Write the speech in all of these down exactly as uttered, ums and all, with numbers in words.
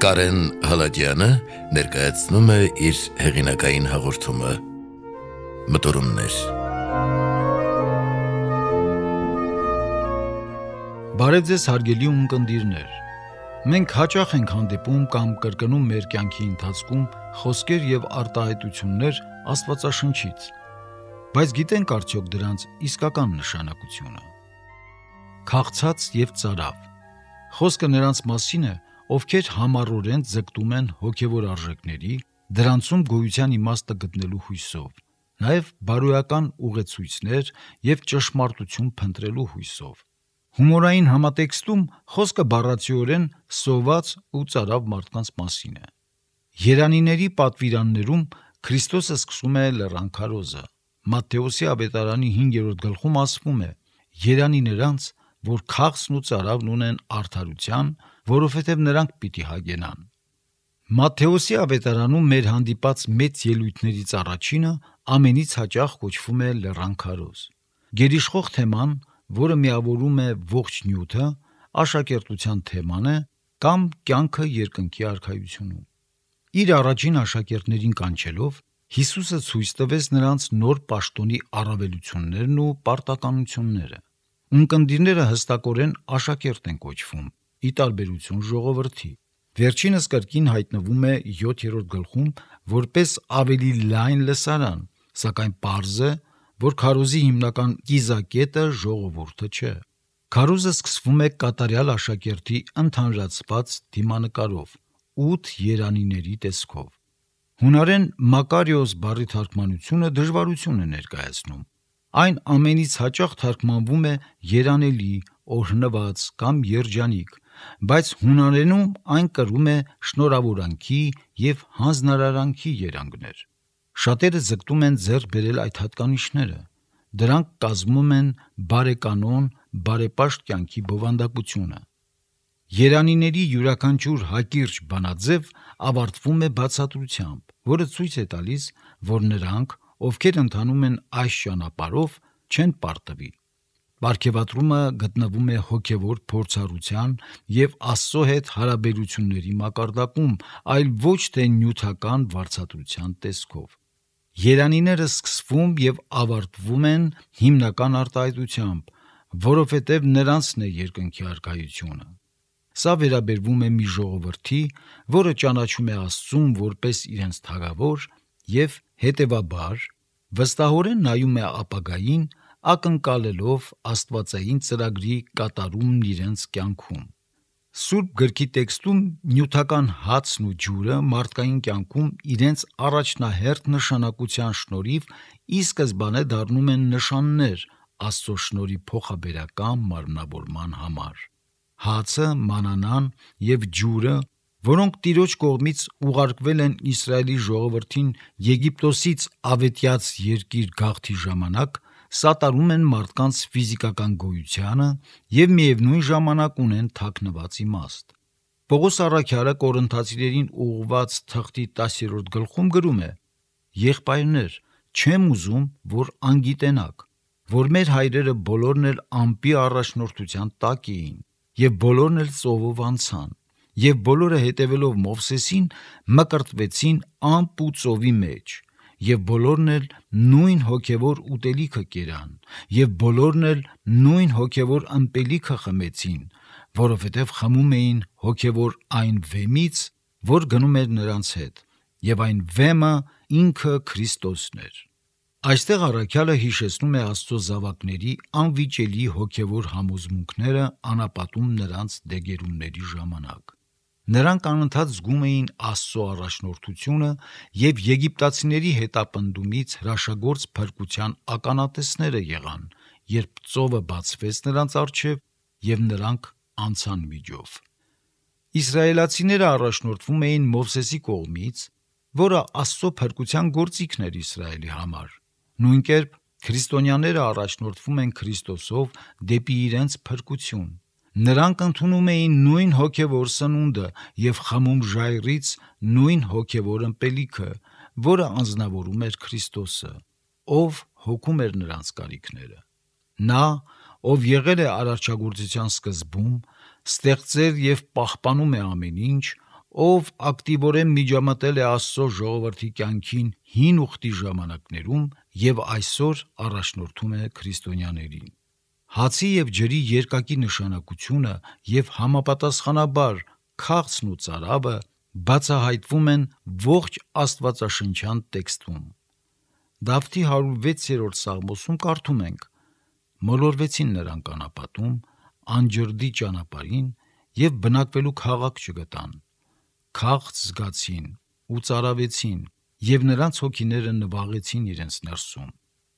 Կարեն Հալաջյանը ներկայացնում է իր հեղինակային հաղորդումը Մտորումներ։ Բարև ձեզ հարգելի ունկնդիրներ։ Մենք հաճախ ենք հանդիպում կամ կրկնում մեր կյանքի ընթացքում խոսքեր եւ արտահայտություններ Աստվածաշնչից, բայց գիտենք արդյոք դրանց իսկական նշանակությունը։ Քաղցած եւ ծարավ։ Խոսքը նրանց մասին է, ովքեր համառորեն ձգտում են հոգևոր արժեքների, դրանցում գոյության իմաստը գտնելու հույսով, նաև բարոյական ուղեցույցներ եւ ճշմարտություն փնտրելու հույսով։ Հումորային համատեքստում խոսքը բառացիորեն սոված ու ծարավ մարդկանց մասին է։ Երանիների պատվիրաններում Քրիստոսը սկսում է լեռան քարոզը։ Մատթեոսի ավետարանի հինգերորդ գլխում ասվում է. «Երանի նրանց, որ քաղցն ու ծարավն ունեն արդարության, որովհետև նրանք պիտի հագենան»։ Մատթեոսի ավետարանում մեր հանդիպած մեծ ելույթներից առաջինը ամենից հաճախ կոչվում է լեռան քարոզ։ Գերիշխող թեման, որը միավորում է ողջ նյութը, աշակերտության թեման է կամ կյանքը երկնքի արքայությունում։ Իր առաջին աշակերտներին կանչելով, Հիսուսը ցույց տվեց նրանց նոր պաշտոնի առավելություններն ու պարտականությունները։ Ունկնդիրները հստակորեն աշակերտ են կոչվում, ի տարբերություն ժողովրդի։ Վերջինս կրկին հայտնվում է յոթերորդ գլխում որպես ավելի լայն լսարան, սակայն պարզ է, որ քարոզի հիմնական կիզակետը ժողովուրդը չէ։ Քարոզը սկսվում է կատարյալ աշակերտի ընդհանրացված դիմանկարով, ութ երանիների տեսքով։ Հունարեն Մակարիոս բառի թարգմանությունը դժվարություն է ներկայացնում։ Այն ամենից հաճախ թարգմանվում է երանելի, օրհնված կամ երջանիկ, բայց հունարենում այն կրում է շնորհավորանքի և հանձնարարանքի երանգներ։ Շատերը ձգտում են ձեռք բերել այդ հատկանիշները։ Դրանք կազմում են բարեկանոն, բարեպաշտ կյանքի բովանդակությունը։ Երանիների յուրաքանչյուր հակիրճ բանաձև ավարտվում է բացատրությամբ, որը ցույց է տալիս, որ նրանք, ովքեր ընթանում են այս ճանապարհով, չեն պարտվի։ Պարգևատրումը գտնվում է հոգևոր փորձառության և Աստծո հետ հարաբերությունների մակարդակում, այլ ոչ թե նյութական վարձատրության տեսքով։ Երանիները սկսվում և ավարտվում են հիմնական արտահայտությամբ, որովհետև նրանցն է երկնքի արքայությունը։ Սա վերաբերվում է մի ժողովրդի, որը ճանաչում է Աստծուն որպես իրենց թագավոր և, հետևաբար, վստահորեն նայում է ապագային, ակնկալելով աստվածային ծրագրի կատարումն իրենց կյանքում։ Սուրբ գրքի տեքստում նյութական հացն ու ջուրը մարդկային կյանքում իրենց առաջնահերթ նշանակության շնորհիվ ի սկզբանե դառնում են նշաններ Աստծո շնորհի փոխաբերական մարմնավորման համար։ Հացը, մանանան և ջուրը, որոնք Տիրոջ կողմից ուղարկվել են Իսրայելի ժողովրդին Եգիպտոսից ավետյաց երկիր գաղթի ժամանակ, սատարում են մարդկանց ֆիզիկական գոյությանը և միևնույն ժամանակ ունեն թաքնված իմաստ։ Պողոս առաքյալը Կորինթացիներին ուղղված թղթի տասերորդ գլխում գրում է. «Եղբայրներ, չեմ ուզում, որ անգիտենաք, որ մեր հայրերը բոլորն էլ ամպի առաջնորդության տակ էին, և բոլորն էլ ծովով անցան, և բոլորը հետևելով Մովսեսին մկրտվեցին ամպ ու ծովի մեջ, և բոլորն էլ նույն հոգևոր ուտելիքը կերան, և բոլորն էլ նույն հոգևոր ըմպելիքը խմեցին, որովհետև խմում էին հոգևոր այն վեմից, որ գնում էր նրանց հետ, և այն վեմը ինքը Քրիստոսն էր»։ Այստեղ առաքյալը հիշեցնում է Աստծո զավակների անվիճելի հոգևոր համոզմունքները անապատում նրանց դեգերումների ժամանակ։ Նրանք անընդհատ զգում էին Աստծո առաջնորդությունը և եգիպտացիների հետապնդումից հրաշագործ փրկության ականատեսները եղան, երբ ծովը բացվեց նրանց առջև և նրանք անցան միջով։ Իսրայելացիները առաջնորդվում էին Մովսեսի կողմից, որը Աստծո փրկության գործիքն էր Իսրայելի համար։ Նույն կերպ քրիստոնյաները առաջնորդվում են Քրիստոսով դեպի իրենց փրկություն։ Նրանք ընդունում էին նույն հոգևոր սնունդը և խմում ժայռից նույն հոգևոր ըմպելիքը, որը անձնավորում էր Քրիստոսը, ով հոգում էր նրանց կարիքները։ Նա, ով եղել է արարչագործության սկզբում, ստեղծել և պահպանում է ամեն ինչ, ով ակտիվորեն միջամտել է Աստծո ժողովրդի կյանքին հին ուխտի ժամանակներում եւ այսօր առաջնորդում է քրիստոնյաներին։ Հացի եւ ջրի երկակի նշանակությունը եւ համապատասխանաբար քաղցն ու ծարավը բացահայտվում են ողջ Աստվածաշնչյան տեքստում։ Դավթի հարյուր վեցերորդ սաղմոսում կարդում ենք. «Մոլորվեցին նրանք անապատում, անջրդի ճանապարհին եւ բնակվելու քաղաք չգտան, քաղց զգացին ու ծարավեցին եւ նրանց հոգիները նվաղեցին իրենց ներսում։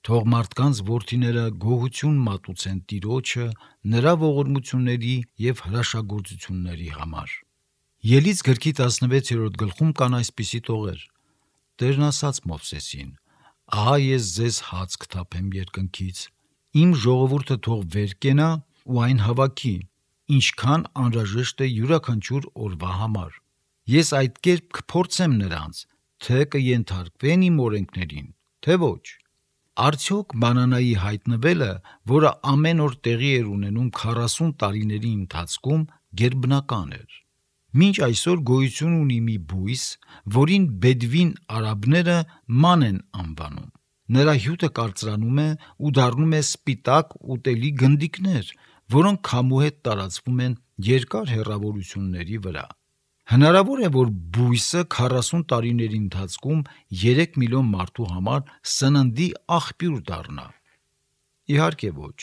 Թող մարդկանց որդիները գոհություն մատուցեն Տիրոջը նրա ողորմությունների եւ հրաշագործությունների համար»։ Ելից գրքի տասնվեցերորդ գլխում կան այսպիսի տողեր. Տերն ասաց Մովսեսին. «Ահա ես ձեզ հաց կթափեմ երկնքից, իմ ժողովուրդը թող վեր կենա ու այն հավաքի, ինչքան անհրաժեշտ է յուրաքանչյուր օրվա համար։ Ես այդ կերպ կփորձեմ նրանց, թե կենթարկվեն իմ օրենքներին, թե ոչ։ Արդյոք մանանայի հայտնվելը, որը ամեն օր տեղի էր ունենում քառասուն տարիների ընթացքում, գերբնական էր։ Մինչ այսօր գոյություն ունի մի բույս, որին բեդվին արաբները ման են անվանում։ Նրա հյութը կարծրանում է ու դառնում է սպիտակ ուտելի գնդիկներ, որոնք քամու հետ տարածվում են երկար հեռավորությունների վրա։ Հնարավոր է, որ բույսը քառասուն տարիների ընթացքում երեք միլիոն մարդու համար սննդի աղբյուր դառնա։ Իհարկե ոչ։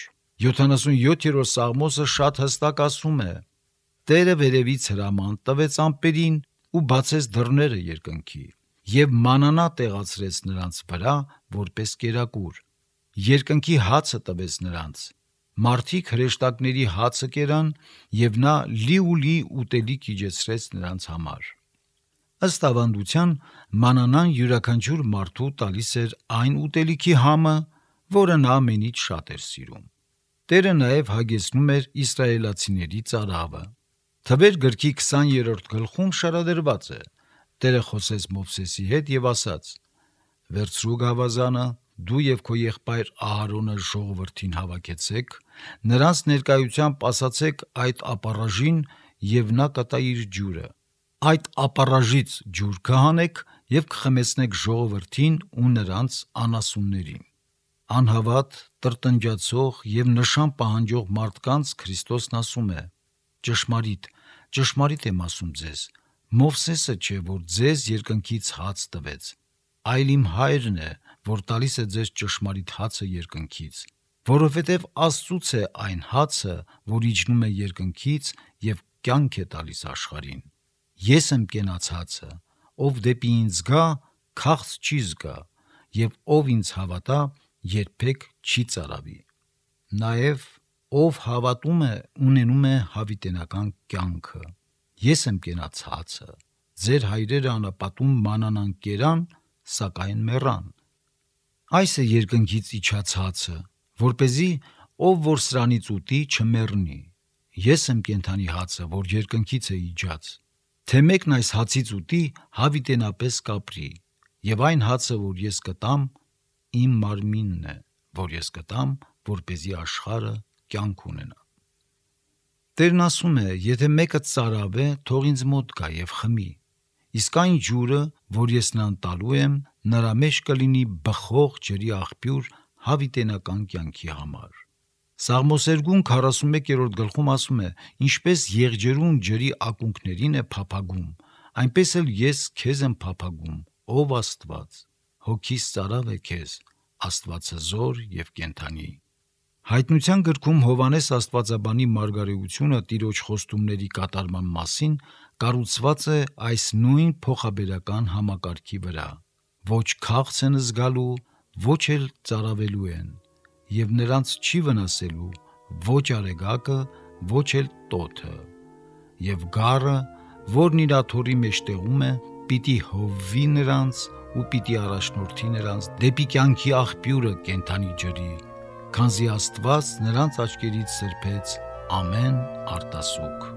յոթանասունյոթերորդ սաղմոսը շատ հստակ ասում է. «Տերը վերևից հրաման տվեց ամպերին ու բացեց դռները երկնքի, եւ մանանա տեղացրեց նրանց վրա որպես կերակուր, երկնքի հացը տվեց նրանց, մարդիկ հրեշտակների հացը կերան, եւ նա լիուլի ուտելիք իջեցրեց նրանց համար»։ Ըստ ավանդության, մանանան յուրաքանչյուր մարդու տալիս էր այն ուտելիքի համը, որը նա ամենից շատ էր սիրում։ Տերը նաև հագեցնում էր իսրայելացիների ծարավը։ Թվեր գրքի քսաներորդ գլխում շարադրված է. Տերը խոսեց Մովսեսի հետ եւ ասաց. «Վերցրու գավազանը, դու եւ քո եղբայր Ահարոնը ժողովրդին հավաքեցեք, նրանց ներկայությամբ ասացեք այդ ապառաժին եւ նա կտա իր ջուրը։ Այդ ապառաժից ջուր կհանեք եւ կխմեցնեք ժողովրդին ու նրանց անասուններին։ Անհավատ, տրտնջացող եւ նշան պահանջող մարդկանց Քրիստոսն ասում է. ճշմարիտ, ճշմարիտ եմ ասում ձեզ, Մովսեսը չէ, որ ձեզ երկնքից հաց տվեց, այլ իմ հայրն է, որ տալիս է ձեզ ճշմարիտ հացը երկնքից, որովհետև Աստծուց է այն հացը, որ իջնում է երկնքից եւ կյանք է տալիս աշխարհին։ Ես եմ կենաց հացը, ով դեպի ինձ գա, քաղց չի զգա, եւ ով ինձ հավատա, երբեք չի ծարավի։ Նաեւ ով հավատում է, ունենում է հավիտենական կյանքը։ Ես եմ կենաց հացը, ձեր հայրերը անապատում մանանան կերան, սակայն մեռան։ Այս է երկնքից իջած հացը, որպեսզի ով որ սրանից ուտի չմեռնի։ Ես եմ կենդանի հացը, որ երկնքից է իջած։ Թե մեկն այս հացից ուտի, հավիտենապես կապրի, եւ այն հացը, որ ես կտամ, իմ մարմինն է, որ ես կտամ, որպեսզի աշխարհը կյանք ունենա։ Տերն ասում է, եթե մեկը ծարավ է, թող ինձ մոտ գա եւ խմի, իսկ այն ջուրը, որ ես նրան տալու եմ, նրա մեջ կլինի բխող ջրի աղբյուր հավիտենական կյանքի համար։ Սաղմոսերգուն քառասունմեկերորդ գլխում ասում է. «Ինչպես եղջերուն ջրի ակունքներին է փափագում, այնպես էլ ես քեզ եմ փափագում, ով Աստված, հոգիս ծարավ է քեզ, Աստվածազոր եւ կենդանի»։ Հայտնության գրքում Հովհաննես Աստվածաբանի մարգարեությունը Տիրոջ խոստումների կատարման մասին կառուցված է այս նույն փոխաբերական համակարգի վրա. ոչ քաղց են զգալու, ոչ էլ ծարավելու են, եւ նրանց չի վնասելու ոչ արեգակը, ոչ էլ տոթը, եւ գառը, որն իր աթոռի մեջ տեղում է, պիտի հովվի նրանց ու պիտի առաջնորդի նրանց դեպի կյանքի աղբյուրը կենդանի ջրի, քանզի Աստված նրանց աչքերից սրբեց ամեն արտասուք։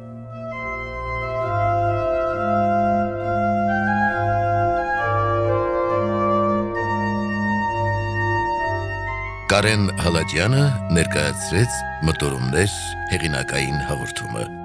Կարեն Հալաջյանը ներկայացրեց մտորումներ հեղինակային հաղորդումը։